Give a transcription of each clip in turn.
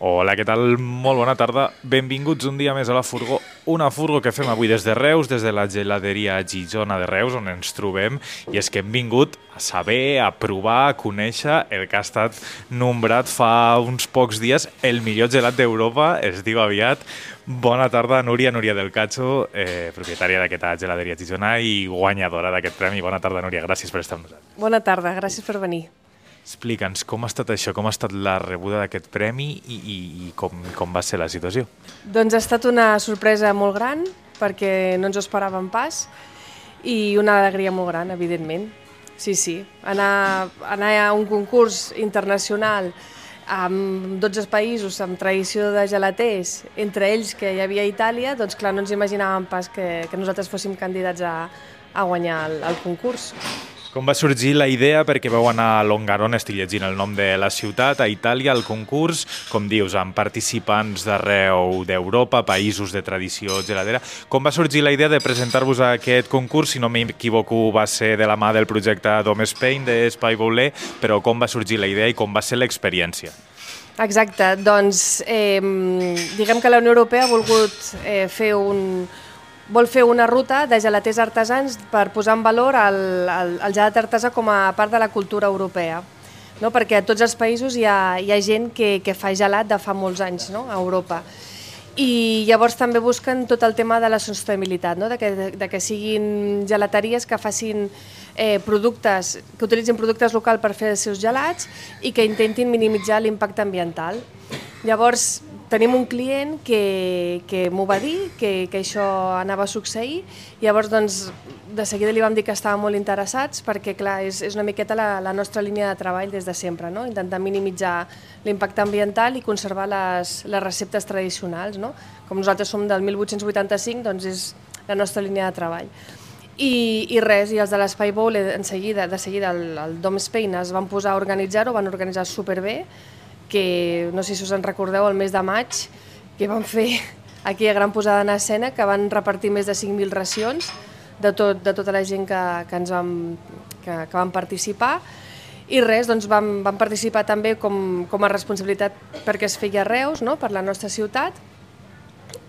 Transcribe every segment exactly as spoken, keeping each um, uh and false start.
Hola, què tal? Molt bona tarda. Benvinguts un dia més a la Furgó. Una Furgó que fem avui des de Reus, des de la geladeria Gijona de Reus, on ens trobem. I és que hem vingut a saber, a provar, a conèixer el que ha estat nombrat fa uns pocs dies el millor gelat d'Europa, es diu aviat. Bona tarda, Núria, Núria del Cacho, eh, propietària d'aquesta geladeria Gijona i guanyadora d'aquest premi. Bona tarda, Núria, gràcies per estar amb nosaltres. Bona tarda, gràcies per venir. Explica'ns com ha estat això, com ha estat la rebuda d'aquest premi i, i, i com, com va ser la situació. Doncs ha estat una sorpresa molt gran, perquè no ens ho esperàvem pas, i una alegria molt gran, evidentment. Sí, sí, anar, anar a un concurs internacional amb dotze països, amb tradició de gelaters, entre ells que hi havia Itàlia, doncs clar, no ens imaginàvem pas que, que nosaltres fóssim candidats a, a guanyar el, el concurs. Com va sorgir la idea? Perquè vau anar a Longarone, estic llegint el nom de la ciutat, a Itàlia, al concurs, com dius, amb participants d'arreu d'Europa, països de tradició geladera. Com va sorgir la idea de presentar-vos a aquest concurs? Si no m'equivoco, va ser de la mà del projecte Dom Spain, d'Espai Bouler, però com va sorgir la idea i com va ser l'experiència? Exacte, doncs eh, diguem que la Unió Europea ha volgut eh, fer un... vol fer una ruta de gelaters artesans per posar en valor el, el, el gelat artesà com a part de la cultura europea. No? Perquè a tots els països hi ha, hi ha gent que, que fa gelat de fa molts anys, no? A Europa. I llavors també busquen tot el tema de la sostenibilitat, no? de, que, de que siguin gelateries que facin eh, productes, que utilitzin productes locals per fer els seus gelats i que intentin minimitzar l'impacte ambiental. Llavors, tenim un client que, que m'ho va dir, que, que això anava a succeir, i llavors doncs, de seguida li vam dir que estàvem molt interessats perquè clar, és, és una miqueta la, la nostra línia de treball des de sempre, no? Intentar minimitzar l'impacte ambiental i conservar les, les receptes tradicionals. No? Com nosaltres som del mil vuit-cents vuitanta-cinc, doncs és la nostra línia de treball. I, i res, i els de l'Espai Bouler, en seguida, de seguida el, el Dom Spain es van posar a organitzar-ho, van organitzar superbé, que no sé si us en recordeu, el mes de maig, que van fer aquella gran posada en escena, que van repartir més de cinc mil racions de, tot, de tota la gent que, que, ens vam, que, que van participar. I res, doncs vam, vam participar també com, com a responsabilitat perquè es feia a Reus, no? Per la nostra ciutat.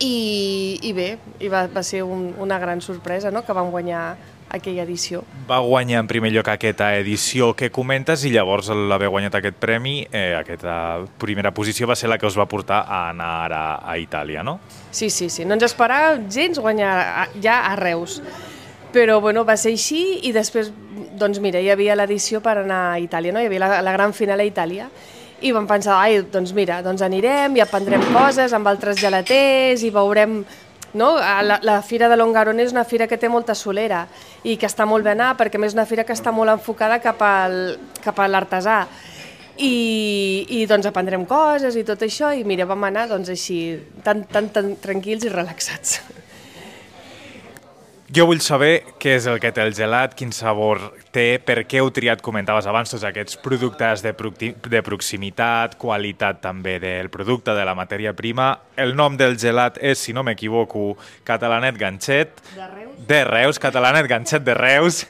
I, i bé, i va, va ser un, una gran sorpresa, no? Que vam guanyar aquella edició. Va guanyar en primer lloc aquesta edició que comentes i llavors l'haver guanyat aquest premi, eh, aquesta primera posició va ser la que us va portar a anar a, a Itàlia, no? Sí, sí, sí. No ens esperava gens guanyar a, ja a Reus. Però bueno, va ser així i després, doncs mira, hi havia l'edició per anar a Itàlia, no? Hi havia la, la gran final a Itàlia. I vam pensar, ai, doncs mira, doncs anirem i aprendrem coses amb altres gelaters i veurem... No? La, la Fira de Longarone és una fira que té molta solera i que està molt bé anar perquè a més és una fira que està molt enfocada cap, al, cap a l'artesà i, i doncs aprendrem coses i tot això i mira, vam anar doncs així tan, tan, tan tranquils i relaxats. Jo vull saber què és el que té el gelat, quin sabor té, per què heu triat, comentaves abans, tots aquests productes de, de proximitat, qualitat també del producte, de la matèria prima. El nom del gelat és, si no m'equivoco, Catalanet Ganxet. De Reus? De Reus, Catalanet Ganxet de Reus.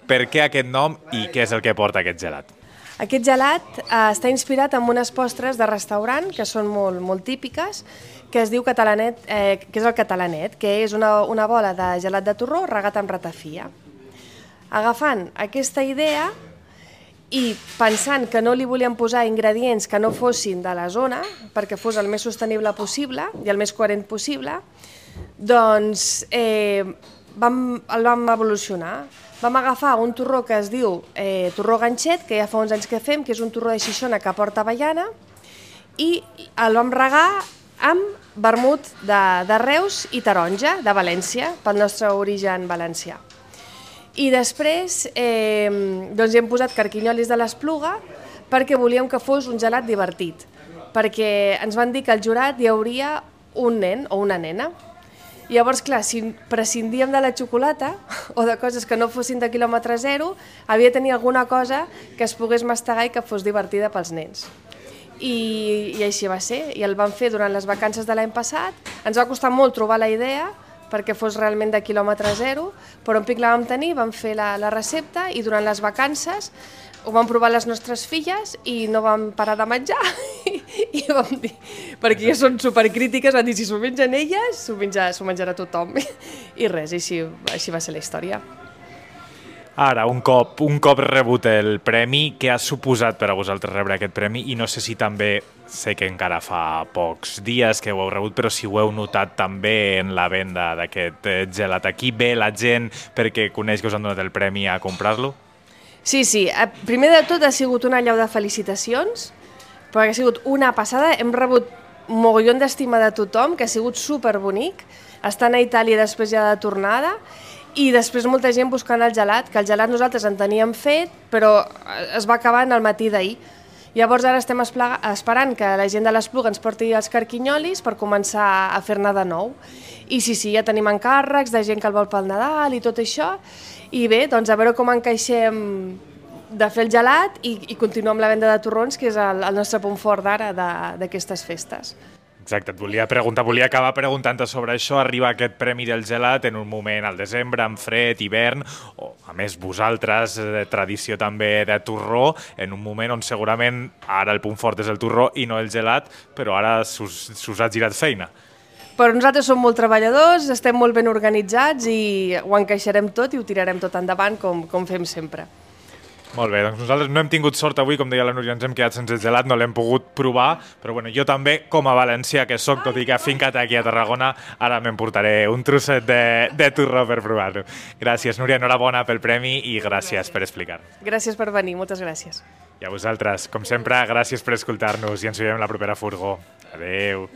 Per què aquest nom i què és el que porta aquest gelat? Aquest gelat eh, està inspirat en unes postres de restaurant que són molt, molt típiques, que es diu catalanet, eh, que és el catalanet, que és una, una bola de gelat de torró regat amb ratafia. Agafant aquesta idea i pensant que no li volíem posar ingredients que no fossin de la zona, perquè fos el més sostenible possible i el més coherent possible, doncs eh, vam, el vam evolucionar. Vam agafar un torró que es diu eh, torró ganxet, que ja fa uns anys que fem, que és un torró de Xixona que porta avellana, i el vam regar amb vermut de, de Reus i taronja de València, pel nostre origen valencià. I després eh, doncs hi hem posat carquinyolis de l'Espluga perquè volíem que fos un gelat divertit, perquè ens van dir que al jurat hi hauria un nen o una nena. I llavors, clar, si prescindíem de la xocolata o de coses que no fossin de quilòmetre zero, havia de tenir alguna cosa que es pogués mastegar i que fos divertida pels nens. I, i així va ser, i el vam fer durant les vacances de l'any passat. Ens va costar molt trobar la idea perquè fos realment de quilòmetre zero, però en pic la vam tenir, vam fer la, la recepta i durant les vacances ho vam provar les nostres filles i no vam parar de menjar i, vam dir, perquè ja són supercrítiques, van dir si s'ho mengen elles, s'ho menja, s'ho menjarà tothom. I res, així, així va ser la història. Ara, un cop, un cop rebut el premi, què ha suposat per a vosaltres rebre aquest premi? I no sé si també, sé que encara fa pocs dies que ho heu rebut, però si ho heu notat també en la venda d'aquest gelat. Aquí ve la gent perquè coneix que us han donat el premi a comprar-lo? Sí, sí. Primer de tot ha sigut una allau de felicitacions, perquè ha sigut una passada. Hem rebut un mogollon d'estima de tothom, que ha sigut superbonic. Estant a Itàlia després ja de tornada, i després molta gent buscant el gelat, que el gelat nosaltres en teníem fet, però es va acabar en el matí d'ahir. Llavors ara estem esperant que la gent de l'Espluga ens porti els carquinyolis per començar a fer-ne de nou. I sí, sí, ja tenim encàrrecs de gent que el vol pel Nadal i tot això. I bé, doncs a veure com encaixem de fer el gelat i, i continuar amb la venda de torrons, que és el, el nostre punt fort d'ara d'aquestes festes. Exacte, et volia preguntar, volia acabar preguntant-te sobre això. Arriba aquest premi del gelat en un moment al desembre, amb fred, hivern, o a més vosaltres, de tradició també de torró, en un moment on segurament ara el punt fort és el torró i no el gelat, però ara s'us ha girat feina. Però nosaltres som molt treballadors, estem molt ben organitzats i ho encaixarem tot i ho tirarem tot endavant com, com fem sempre. Molt bé, doncs nosaltres no hem tingut sort avui, com deia la Núria, ens hem quedat sense gelat, no l'hem pogut provar, però bueno, jo també, com a valencià que soc, tot i que afincat aquí a Tarragona, ara m'emportaré un trosset de, de torró per provar-lo. Gràcies, Núria, enhorabona pel premi i gràcies per explicar. Gràcies per venir, moltes gràcies. I a vosaltres, com sempre, gràcies per escoltar-nos i ens veiem la propera furgó. Adeu.